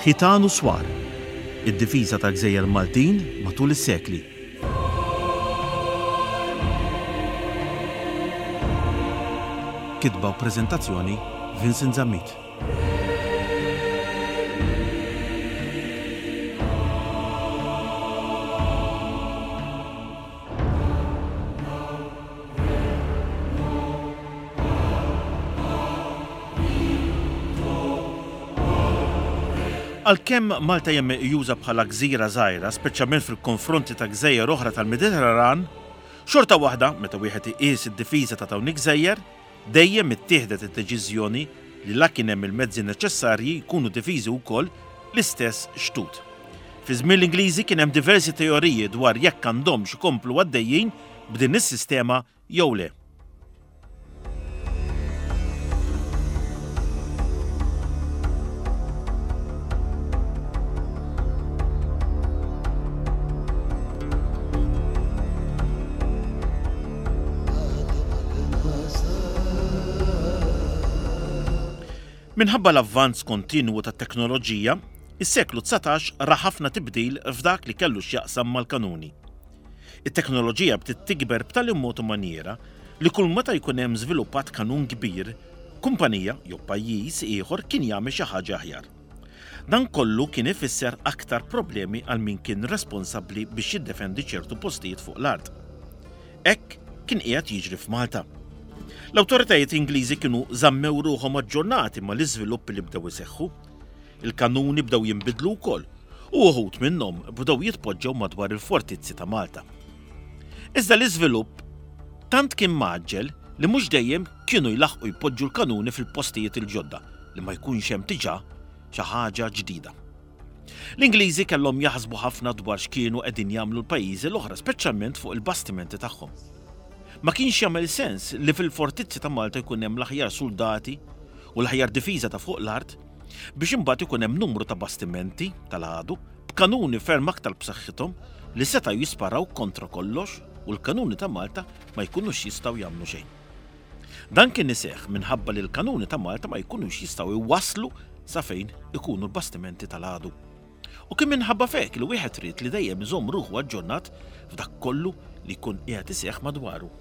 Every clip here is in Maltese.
Ħitan u Swar, Id-difiża tal-gżejjer Maltin matul is-sekli. Kitba u preżentazzjoni Vincent Zammit. Għalkemm Malta hija meqjusa bħala gżira żgħira, speċjalment fil-konfronti ta' gżejjer oħra tal-Mediterran, xorta waħda, meta wieħed iqis id-difiża ta' dawn il-gżejjer, dejjem ittieħdet id-deċiżjoni li la kien hemm il-mezzi neċessarji jkunu difiżi wkoll l-istess xtut. Fi żmien l-Ingliżi kien hemm diversi teoriji dwar jekk għandhomx ikomplu għaddejjin b'din is-sistema jew le. Minħabba l-avvanz kontinwu tat-teknoloġija, is-seklu 19 ra ħafna tibdil f'dak li kellu x'jaqsam mal-kanuni. It-teknoloġija bdiet tikber b'tali mod u manjiera li kull meta jkun hemm żviluppat kanun kbir, kumpanija jew pajjiż ieħor kien jagħmel xi ħaġa aħjar. Dan kollu kien ifisser aktar problemi għal min kien responsabbli biex jiddefendi ċertu postijiet fuq l-art. Hekk kien qiegħed jiġri f'Malta. L-awtoritajiet Ingliżi kienu żammew ruħhom aġġornati mal-iżviluppi li bdew iseħħu. Il-kanuni bdew jinbidlu wkoll u uħud minnhom bdew jitpoġġew madwar il-fortizzi ta' Malta. Iżda l-iżvilupp tant kien mgħaġġel li mhux dejjem kienu jlaħħqu jpoġġu l-kanuni fil-postijiet il-ġodda li ma jkunx hemm diġà xi ħaġa ġdida. L-Ingliżi kellhom jaħsbu ħafna dwar x'kienu qegħdin jagħmlu l-pajjiżi l-oħra speċjalment fuq il-bastimenti tagħhom. Ma kienx jagħmel sens li fil-fortizzi ta' Malta jkun hemm l-aħjar suldati u l-aħjar difiża ta' fuq l-art biex imbagħad ikun hemm numru ta' bastimenti tal-għadu b'kanuni ferm aktar b'saħħithom li setgħu jisparaw kontra kollox u l-kanuni ta' Malta ma jkunux jistgħu jagħmlu xejn. Dan kien iseħħ minħabba li l-kanuni ta' Malta ma jkunux jistgħu jwasslu sa fejn ikunu l-bastimenti tal-għadu. U kien minħabba f'hekk li wieħed ried li dejjem iżomm ruħu aġġornat f'dak kollu li jkun qiegħed iseħħ madwaru.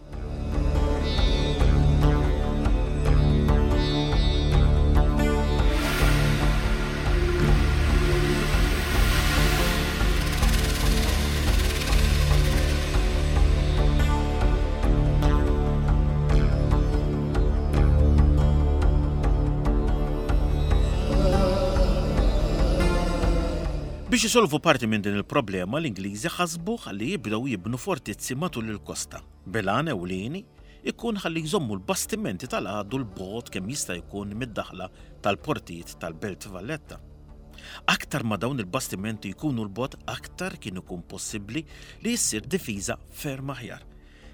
Biex isolvu parti minn din il-problema, l-Ingliżi ħasbu ħalli jibdew jibnu fortizzi matul il-kosta, bil-għan ewlieni ikun ħalli jżommu l-bastimenti tal-għadu 'l bogħod kemm jista' jkun mid-daħla tal-portijiet tal-Belt Valletta. Aktar ma dawn il-bastimenti jkunu 'l bogħod aktar kien ikun possibbli li ssir difiża ferm aħjar.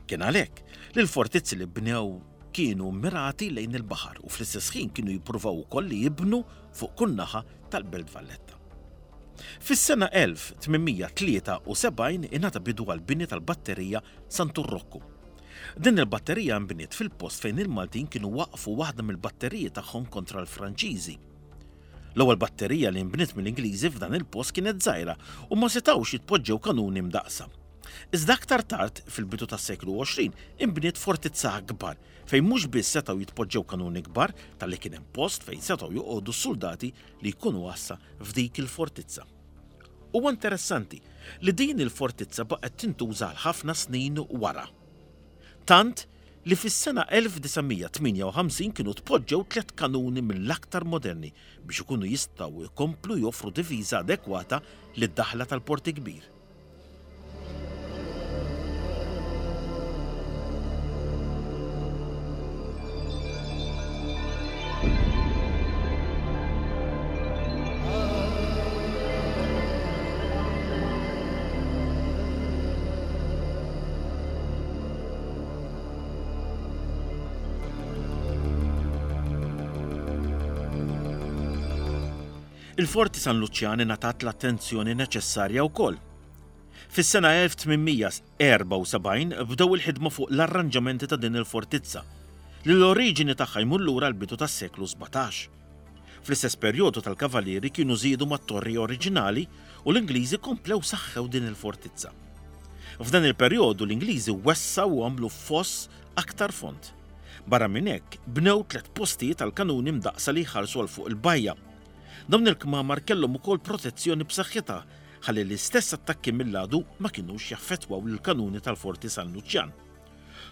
Kien għalhekk li l-fortizzi li bnew kienu mmirati lejn il-baħar u fl-istess ħin kienu jippruvaw ukoll li jibnu fuq kull naħa tal-Belt Valletta. Fis-sena 1873 ingħata bidu għall-bini tal-batterija Santu Rokku. Din il-batterija nbniet fil-post fejn il-Maltin kienu waqqfu waħda mill-batteriji tagħhom kontra l-Franċiżi. L-ewwel batterija li nbniet mill-Ingliżi f'dan il-post kienet żgħira u ma setgħux jitpoġġew kanuni mdaqqsa. Iżda aktar tard, fil-bidu tas-seklu 20, inbniet fortizza akbar fejn mhux biss setgħu jitpoġġew kanuni kbar talli kien hemm post fejn setgħu joqogħdu s-suldati li jkunu għassa f'dik il-fortizza. Huwa interessanti li din il-fortizza baqgħet tintuża għal ħafna snin wara. Tant li fis-sena 1958 kienu tpoġġew tlett kanuni mill-aktar moderni biex ikunu jistgħu jkomplu joffru difiża adekwata lid-daħla tal-Port il-Kbir. Il-Forti San Luċjan ingħatat l-attenzjoni neċessarja wkoll. Fis-sena 1874 bdew il-ħidma fuq l-arranġamenti ta' din il-fortizza, li l-oriġini tagħha jmur lura l-bidu tas-seklu 17. Fl-istess perjodu tal-Kavalieri kienu żiedu mat-torri oriġinali u l-Ingliżi komplew saħħew din il-fortizza. F'dan il-perjodu l-Ingliżi wessgħu u għamlu foss aktar fond. Barra minn hekk, bnew tlett postijiet għall-kanuni mdaqqsa li jħarsu għal fuq il-bajja. Dawn il-kmamar kellhom ukoll protezzjoni b'saħħitha ħalli l-istess attakki mill-għadu ma kinux jaffettwaw lill-kanuni tal-Forti San Luċjan.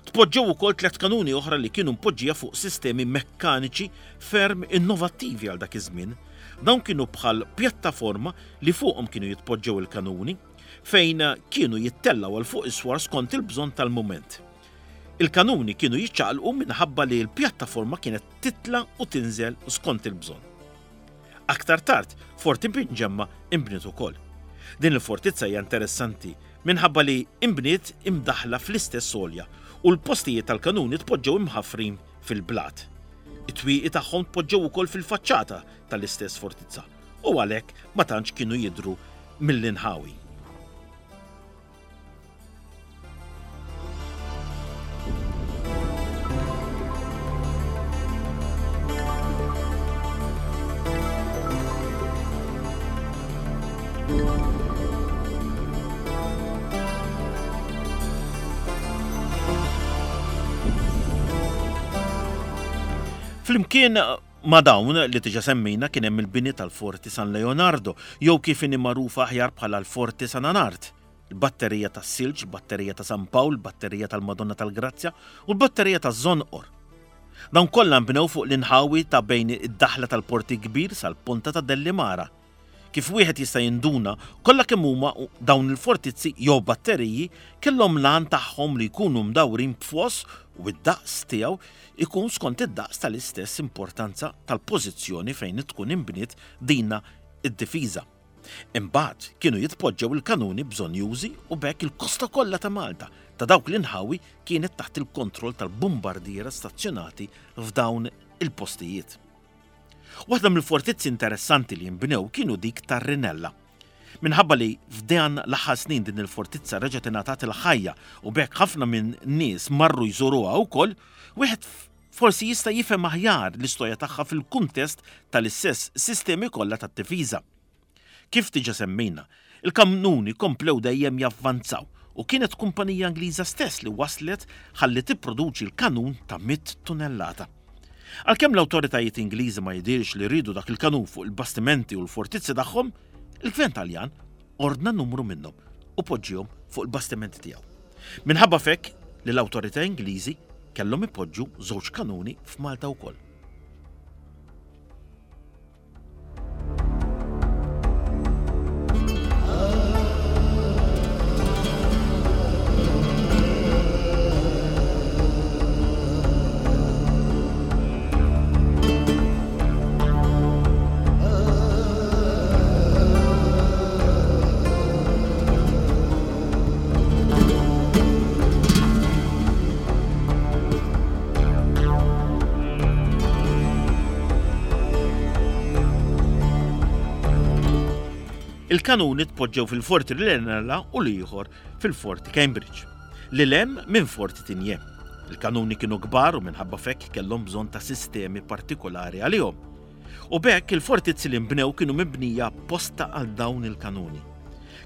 Tpoġġew ukoll tlett kanuni oħra li kienu mpoġġija fuq sistemi mekkaniċi ferm innovattivi għal dak iż-żmien. Dawn kienu bħal pjattaforma li fuqhom kienu jitpoġġew il-kanuni, fejn kienu jittellgħu għal fuq is-swar skont il-bżonn tal-mument. Il-kanuni kienu jiċċaqalqu minħabba li l-pjattaforma kienet titla' u tinżel skont il-bżonn. Aktar tard, Forti Binġemma inbniet ukoll. Din il-fortizza hija interessanti minħabba li inbniet imdaħħla fl-istess għolja u l-postijiet tal-kanuni tpoġġew imħaffrin fil-blat. It-twieqi tagħhom tpoġġew ukoll fil-faċċata tal-istess fortizza u għalhekk ma tantx kienu jidhru mill-inħawi. Flimkien ma' dawn li diġa semmejna kien hemm il-bini tal-Forti San Leonardo, jew kif inhi magħrufa aħjar bħala l-Forti San Anard. il-batterija tas-silġ, il-batterija ta' San Pawl, il-batterija tal-Madonna tal-Grazzja u l-batterija taż-Żonqor. Dawn kollha nbnew fuq l-inħawi ta' bejn id-daħla tal-Port il-Kbir sal-Ponta ta' Dellimara. Kif wieħed jista' jinduna, kollha kemm huma dawn il-fortizzi jew batteriji kellhom l-għan tagħhom li jkunu mdawrin b'foss u d-daqs tiegħu jkun skont id-daqs tal-istess importanza tal-pożizzjoni fejn tkun inbniet dina d-difiża. Imbagħad kienu jitpoġġew il-kanuni bżonnjużi u b'hekk il-kosta kollha ta' Malta, ta' dawk l-inħawi kienet taħt il-kontroll tal-bumbardiera stazzjonati f'dawn il-postijiet. Waħda mill-fortizzi interessanti li nbnew kienu dik tar-Rinella. Minħabba li f'dan l-aħħar snin din il-fortizza reġgħet ingħatat il-ħajja u b'hekk ħafna minn nies marru jżuruha wkoll, wieħed forsi jista' jifhem aħjar l-istorja tagħha fil-kuntest tal-istess sistemi kollha tat-difiża. Kif diġà semmejna, il-kanuni komplew dejjem javvanzaw u kienet kumpanija Ingliża stess li waslet ħalli tipproduċi l-kanun ta' mitt tunellata. Għalkemm l-awtoritajiet Ingliżi ma jidhirx li riedu dak il-kanun fuq il-bastimenti u l-fortizzi tagħhom, il-Gvern Taljan ordna numru minnhom u poġġihom fuq il-bastimenti tiegħu. Minħabba f'hekk li l-awtorità Ingliżi kellhom ipoġġu żewġ kanuni f'Malta wkoll. Il-kanuni tpoġġew fil-Forti Rinella u l-ieħor fil-Forti Cambridge, lil hemm minn Forti Tigné. Il-kanuni kienu kbar u minħabba f'hekk kellhom bżonn ta' sistemi partikolari għalihom. U b'hekk il-fortizzi li nbnew kienu mibnija apposta għal dawn il-kanuni.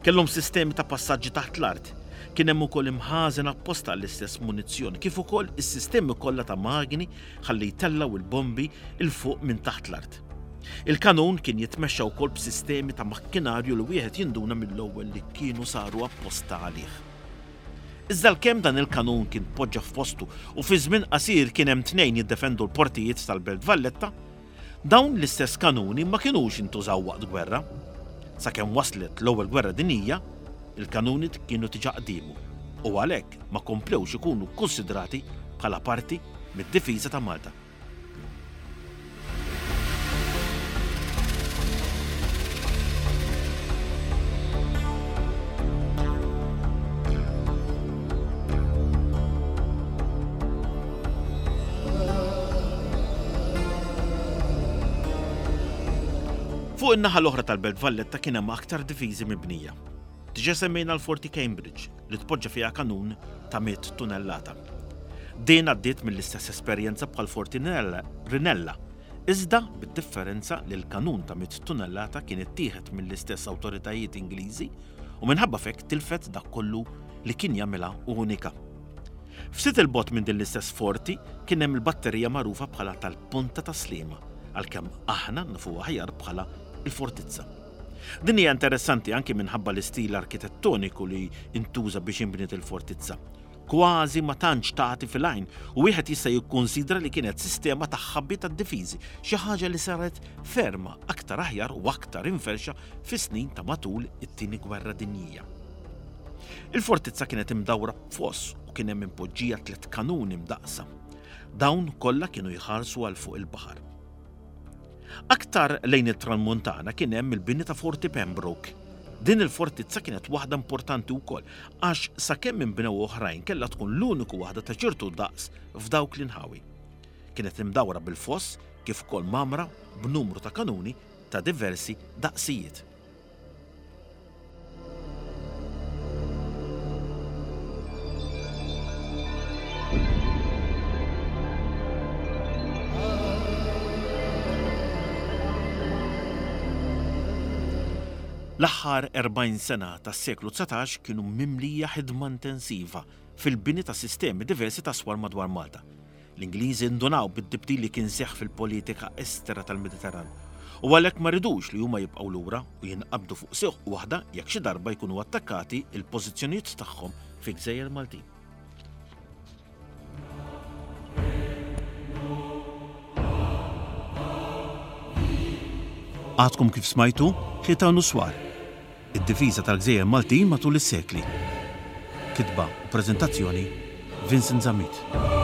Kellhom sistemi ta' passaġġi taħt l-art. Kien hemm ukoll imħażen apposta għall-istess munizzjon, kif ukoll is-sistemi kollha ta' magni ħalli jtellgħu l-bombi 'l fuq minn taħt l-art. Il-kanun kien jitmexxa wkoll b'sistemi ta' makkinarju li wieħed jinduna mill-ewwel li kienu saru apposta għalih. Iżda għalkemm dan il-kanun kien tpoġġa f'postu u fi żmien qasir kien hemm tnejn jiddefendu l-portijiet tal-Belt Valletta, dawn l-istess kanuni ma kinux intużaw waqt gwerra. Sakemm waslet l-Ewwel Gwerra Dinjija, il-kanuni kienu diġà qdiemu u għalhekk ma komplewx ikunu kkunsidrati bħala parti mid-difiża ta' Malta. Fuq in-naħa l-oħra tal-Belt Valletta kien hemm aktar difiżi mibnija. Diġà semmejna l-Forti Cambridge li tpoġġa fiha kanun ta' mitt tunellata. Din għaddiet mill-istess esperjenza bħall-Forti Rinella. Iżda bid-differenza li l-kanun ta' mitt tunellata kien ittieħed mill-istess awtoritajiet Ingliżi u minħabba f'hekk tilfet dak kollu li kien jagħmilha unika. Ftit 'il bogħod minn din l-istess forti kien hemm il-batterija magħrufa bħala tal-Ponta ta' Sliema, għalkemm aħna nafuha aħjar bħala l-Fortizza. Din hija interessanti anki minħabba l-istil arkitettoniku li ntuża biex inbniet il-fortizza. Kważi ma tantx tagħti fil-għajn u wieħed jista' jikkunsidra li kienet sistema ta' ħabi tad-difiżi, xi ħaġa li saret ferma aktar aħjar u aktar imferrxa fis-snin ta' matul it-Tieni Gwerra Dinjija. Il-fortizza kienet imdawra b'foss u kien hemm impoġġija tlett kanuni mdaqqsa. Dawn kollha kienu jħarsu għal fuq il-baħar. Aktar lejn it-Tranmuntana kien hemm il-bini ta' Forti Pembroke. Din il-fortizza kienet waħda importanti wkoll għax sakemm inbnew oħrajn kellha tkun l-uniku waħda ta' ċertu daqs f'dawk l-inħawi. Kienet imdawra bil-foss kif ukoll mgħammra b'numru ta' kanuni ta' diversi daqsijiet. L-aħħar 40 sena tas-seklu 19 kienu mimlija ħidma intensiva fil-bini ta' sistemi diversi ta' swar madwar Malta. L-Ingliżi ndunaw bit-tibdil li kien seħħ fil-politika estera tal-Mediterran u għalhekk ma ridux li huma jibqgħu lura u jinqabdu fuq sieq waħda jekk xi darba jkunu attakkati l-pożizzjonijiet tagħhom fi gżejjer Maltin. Għadkom kif smajtu Ħitan u Swar, Id-difiża tal-gżejjer Maltin matul is-sekli. Kitba u preżentazzjoni, Vincent Zammit.